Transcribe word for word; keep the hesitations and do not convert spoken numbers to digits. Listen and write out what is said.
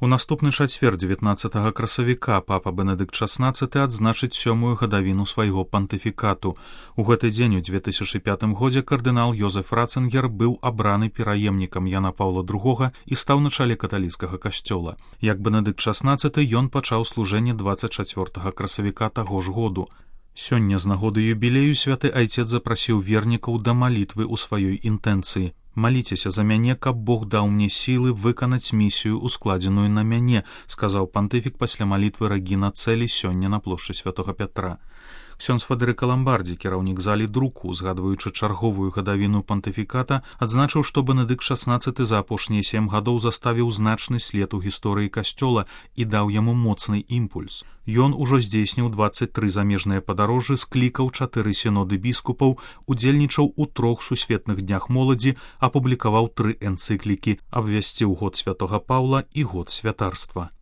У наступны чацвер дзевятнаццатага красавіка папа Бенедыкт шаснаццаты адзначыць сёмую гадавіну свайго пантыфікату. У гэты дзень у две тысячы пятым годзе кардынал Йозеф Ратцынгер быў абраны пераемнікам Яна Паўла другога і стаў на чале каталіцкага касцёла. Як Бенедыкт шаснаццаты ён пачаў служэнне дваццаць чацвёртага красавіка таго ж году. Сёння з нагоды юбілею святы айцец запрасіў вернікаў да малітвы ў сваёй інтэнцыі. «Маліцеся за мяне, каб Бог даў мне сілы выканаць місію, ускладзеную на мяне», сказаў пантыфік пасля малітвы Рэгіна Цэлі сёння на плошчы святога Пятра. Ксёндз Фэдэрыка Ламбардзі, кіраўнік залі друку, згадваючы чарговую гадавіну пантыфіката, адзначыў, што Бенедыкт шаснаццаты за апошнія сем гадоў заставіў значны след у гісторыі касцёла і даў яму моцны імпульс. Ён ужо здзейсніў дваццаць тры замежныя падарожжы, склікаў чатыры сіноды біскупаў, удзельнічаў у трох сусветных днях моладзі, апублікаваў тры энцыклікі, абвясціў год святога Паўла і год святарства.